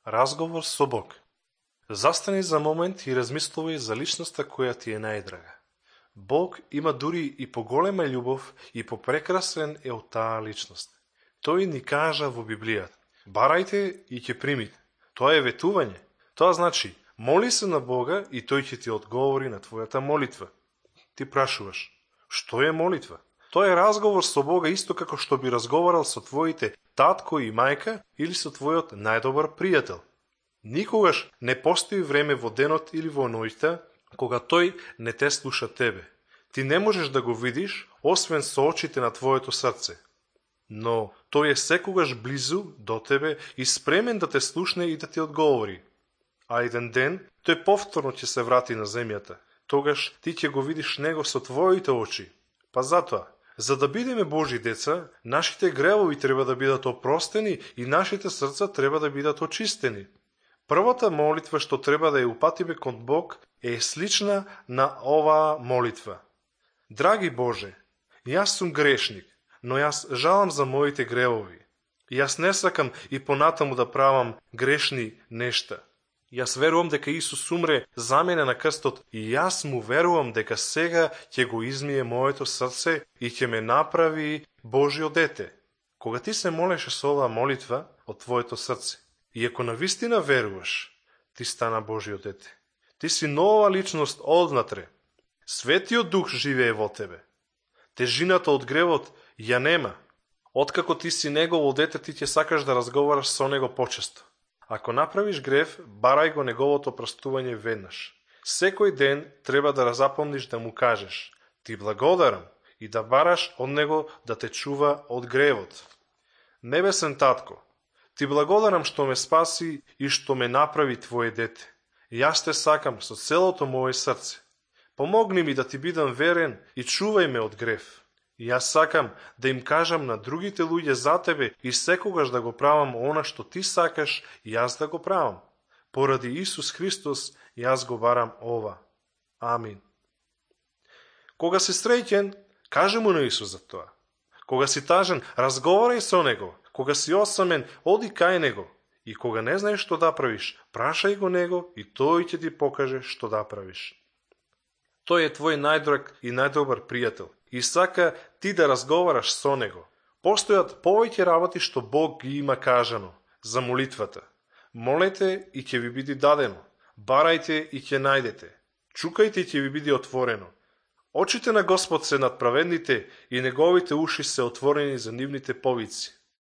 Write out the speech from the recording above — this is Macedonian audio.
Разговор со Бог. Застани за момент и размислувај за личноста која ти е најдрага. Бог има дури и поголема љубов и попрекрасен е од таа личност. Тој ни кажа во Библијата: барајте и ќе примите. Тоа е ветување. Тоа значи, моли се на Бога и тој ќе ти одговори на твојата молитва. Ти прашуваш: што е молитва? Тоа е разговор со Бога исто како што би разговарал со твоите татко и мајка или со твојот најдобар пријател. Никогаш не постои време во денот или во ноќта кога тој не те слуша тебе. Ти не можеш да го видиш, освен со очите на твоето срце. Но тој е секогаш близу до тебе и спремен да те слушне и да ти одговори. А еден ден тој повторно ќе се врати на земјата. Тогаш ти ќе го видиш него со твоите очи. Па затоа, за да бидеме Божи деца, нашите гревови треба да бидат опростени и нашите срца треба да бидат очистени. Првата молитва што треба да ја упатиме кон Бог е слична на оваа молитва. Драги Боже, јас сум грешник, но јас жалам за моите гревови. Јас не сакам и понатаму да правам грешни нешта. Јас верувам дека Исус умре за мене на крстот и јас му верувам дека сега ќе го измие моето срце и ќе ме направи Божјо дете. Кога ти се молеше со оваа молитва од твоето срце, и ако навистина веруваш, ти стана Божјо дете. Ти си нова личност однатре. Светиот Дух живее во тебе. Тежината од гревот ја нема. Откако ти си негово дете, ти ќе сакаш да разговараш со него почесто. Ако направиш грев, барај го неговото простување веднаш. Секој ден треба да запомниш да му кажеш: ти благодарам, и да бараш од него да те чува од гревот. Небесен татко, ти благодарам што ме спаси и што ме направи твое дете. Јас те сакам со целото мое срце. Помогни ми да ти бидам верен и чувај ме од грев. Јас сакам да им кажам на другите луѓе за тебе и секогаш да го правам она што ти сакаш јас да го правам. Поради Исус Христос јас го барам ова. Амин. Кога си среќен, кажи му на Исус за тоа. Кога си тажен, разговарај со него. Кога си осамен, оди кај него. И кога не знаеш што да правиш, прашај го него и тој ќе ти покаже што да правиш. Тој е твој најдраг и најдобар пријател и сака ти да разговараш со него. Постојат повеќе работи што Бог ги има кажано за молитвата. Молете и ќе ви биде дадено. Барајте и ќе најдете. Чукајте и ќе ви биде отворено. Очите на Господ се над праведните и неговите уши се отворени за нивните повици.